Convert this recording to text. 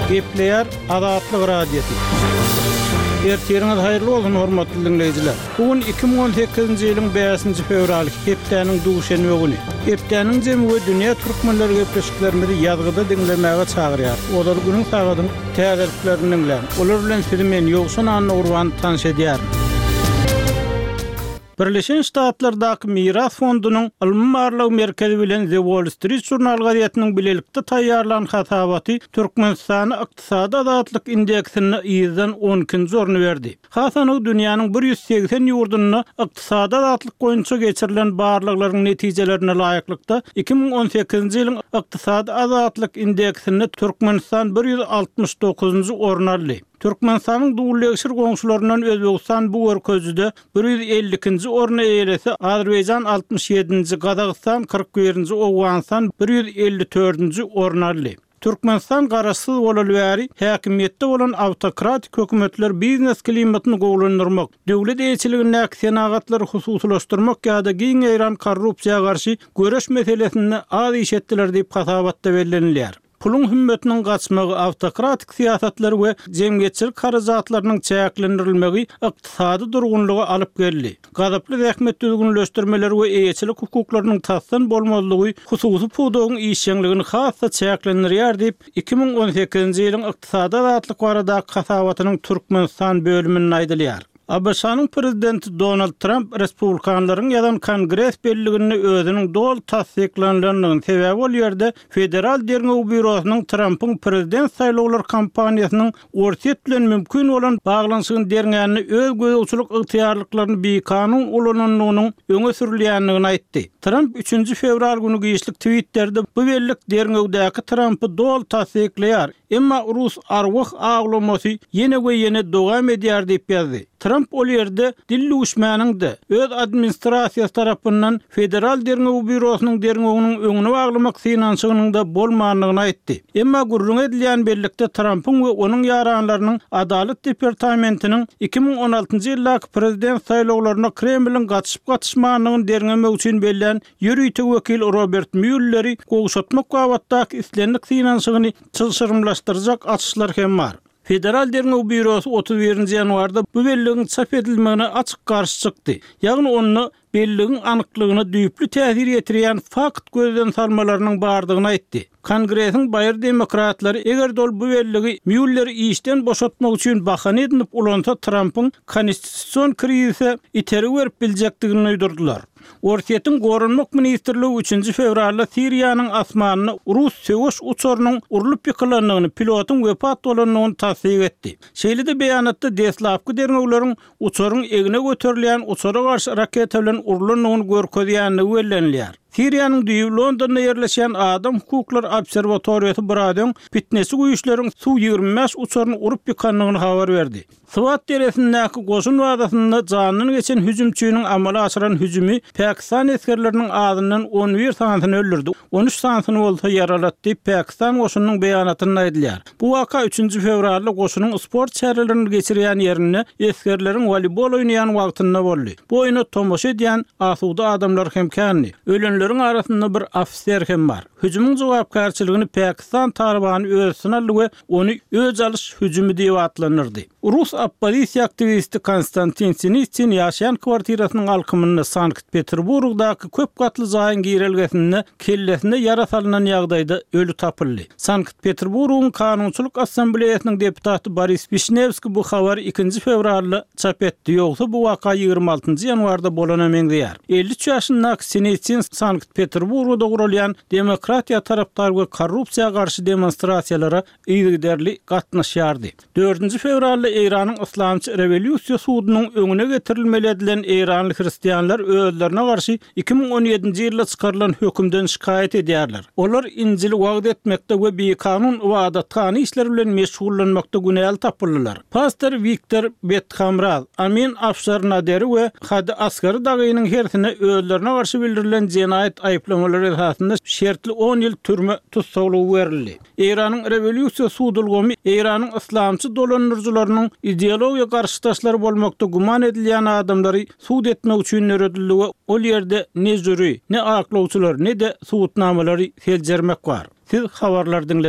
Gepleýär Azatlyk Radiosy. Ertiriňiz haýyrly bolsun, hormatly diňleýjiler! Bu gün 2018-nji ýylyň bäşinji fewraly, hepdäniň duşenbe güni. Hepdäniň jemi we dünýä türkmenleri gepleşiklerimizi ýazgyda diňlemäge çagyrýar. Ozal günüň sagadyň täzeliklerini diňläň. Olar bilen sizi men, Ýowşan Annagurban tanyş edýärin. Birleşen Ştatlardaky Miras fondunyň Ylmy-barlag merkezi bilen The Wall Street Journal gazetiniň bilelikde taýýarlan hasabaty Türkmenistana ykdysady azatlyk indeksinde yzdan on ikinji orny berdi. Has anygy dünýäniň 180 ýurdunda ykdysady azatlyk boýunça geçirilen barlaglaryň netijelerine laýyklykda, 2018-nji ýylyň ykdysady azatlyk indeksinde Türkmenistan 169-njy orny aldy. Türkmenistanyň dullegşir goňşularyndan Özbegistan bu görkezijide 152-nji orny eýelese, Azerbaýjan 67-nji, Gazagystan 41-nji, Owganystan 154-nji orny aldy. Türkmenistan garaşsyz bolaly bäri häkimiýetde bolan awtokratik hökümetler biznes klimatyny gowulandyrmak, döwlet eýeçiligindäki senagatlary hususylaşdyrmak ýa-da giň ýaýran korrupsiýa garşy göreş meselesinde az iş etdiler diýip hasabatda bellenilýär. Puluň hümmetiniň gaçmagy, awtokratik syýasatlar we jemgyýetçilik harajatlarynyň çäklendirilmegi ykdysady durgunlyga alyp geldi. Gazaply zähmet düzgünleşdirmeleri we eýeçilik hukuklarynyň tasdan bolmazlygy hususy pudagyň işjeňligini has-da çäklendirýär diýip, 2018-nji ýylyň Ykdysady azatlyk baradaky hasabatynyň Türkmenistan bölüminde aýdylýar. ABŞ-nyň prezidenti Donald Tramp respublikanlaryň ýazan Kongres belliginde özüniň doly tassyklanylandygyny, sebäbi ol ýerde Federal derňew býurosynyň Trampyň prezident saýlawlar kampaniýasynyň Orsýet bilen mümkin bolan baglanyşygyny derňände öz gözegçilik ygtyýarlyklaryny bikanun ulanandygynyň öňe sürülýändigini aýtdy. Tramp üçünji fewral güni giçlik Twitterde bu bellik derňewdäki Trampy doly tassyklaýar, Emma rus arwah awlamasy ýene we ýene dowam edýär diýip ýazdy. Tramp ol ýerde dil düwüşmäniň-de, öz administrasiýasy tarapyndan Federal derňew býurosynyň derňewiniň öňüni baglamak synanyşygynyň-da bolmandygyny aýtdy. Emma gürrüňi edilýän bellikde Trampyň we onuň ýaranlarynyň Adalat departamentiniň 2016 ýyldaky prezident saýlawlaryna Kremliň gatyşyp-gatyşmandygyny derňemek üçin bellän Ýörite wekil Robert Mýulleri gowşatmak babatdaky islendik synanyşygyny çylşyrymlaşdyrjak açyşlar hem bar. Federal derňew býurosy 31 nji ýanwarda bu belligiň çap edilmegine açyk garşy çykdy. Ýagny onda belligiň anyklygyna düýpli täsir ýetirýän fakt gözden salmalarynyň bardygyny aýtdy. Kongresiň baýry demokratlary eger-de ol bu belligi Mýulleri işden boşatmak üçin bahana edinip ulansa Trampyň konstitusion krizise itergi berip biljekdigini duýdurdylar. Orsýetiň Goranmak ministrligi üçünji fewralda Siriýanyň asmanynda rus söweş uçarynyň urlup ýykylandygyny, pilotyň wepat bolandygyny tassyk etdi. Şeýle-de beýanatda deslapky derňewleriň uçaryň egne göterilýän uçara garşy raketa bilen urlandygyny görkezýändigi bellenilýär. Siriýanyň düýbi Londonda ýerleşýän Adam hukuklary obserwatoriýasy biraz öň pitneçi güýçleriň Su 25 uçaryny urup ýykandygyny habar berdi. Swat deresindäki goşun bazasynda janyndan geçen hüjümçiniň amala aşyran hüjümi pakistan esgerleriniň azyndan 11 sanysyny öldürdi, 13 sanysyny bolsa ýaralady diýip, pakistan goşunynyň beýanatynda aýdylýar. Bu waka üçünji fewralda goşunyň sport çärelerini geçirýän ýerinde esgerleriň woleýbol oýnaýan wagtynda boldy. Bu oýna tomaşa edýän asuda adamlar hem kändi. Ölenleriň arasynda bir ofiser hem bar. Hüjümiň jogapkärçiligini pakistan Talybany öz üstüne aldy we ony öç alyş hüjümi diýip atlandyrdy. Rus oppozisiýa aktiwisti Konstantin Sinitsin ýaşaýan kwartirasynyň alkymynda Sankt-Peterburgdaky köp gatly jaýyň girelgesinde kellesine ýara salnan ýagdaýda öli tapyldy. Sankt-Peterburgyň Kanunçylyk Assambleýasynyň deputaty Boris Wişnewskiý bu habary ikinji fewralda çap etdi, ýogsa bu waka 26-njy ýanwarda bolana meňzeýär. 53 ýaşyndaky Sinitsin Sankt-Peterburgda guralýan demokratiýa tarapdar we korrupsiýa garşy demonstrasiýalara yzygiderli gatnaşýardy. Dördünji fewralda Eýranyň Yslamçy rewolýusiýa sudunyň öňüne getirilmeli edilen eýranly hristianlar özlerine garşy 2017-nji ýylda çykarylan hökümden şikaýat edýärler. Olar Injili wagyz etmekde we bikanun ybadathana işleri bilen meşgullanmakda günäli tapyldylar. Pastor Wiktor Bethamraz, Amin Afşar Naderi we Hadi Asgary dagynyň hersine özlerine garşy bildirilen jenaýat aýyplamalary esasynda şertli on ýyl türme tussaglygy berildi. Eýranyň rewolýusiýa sud ulgamy Eýranyň yslamçy dolandyryjylarynyň ideologiýa garşydaşlary bolmakda güman edilýän adamlary sud etmek üçin döredildi we ol ýerde ne žüri, ne aklawçylar, ne-de subutnamalary seljermek bar. Siz habarlary diňlediňiz.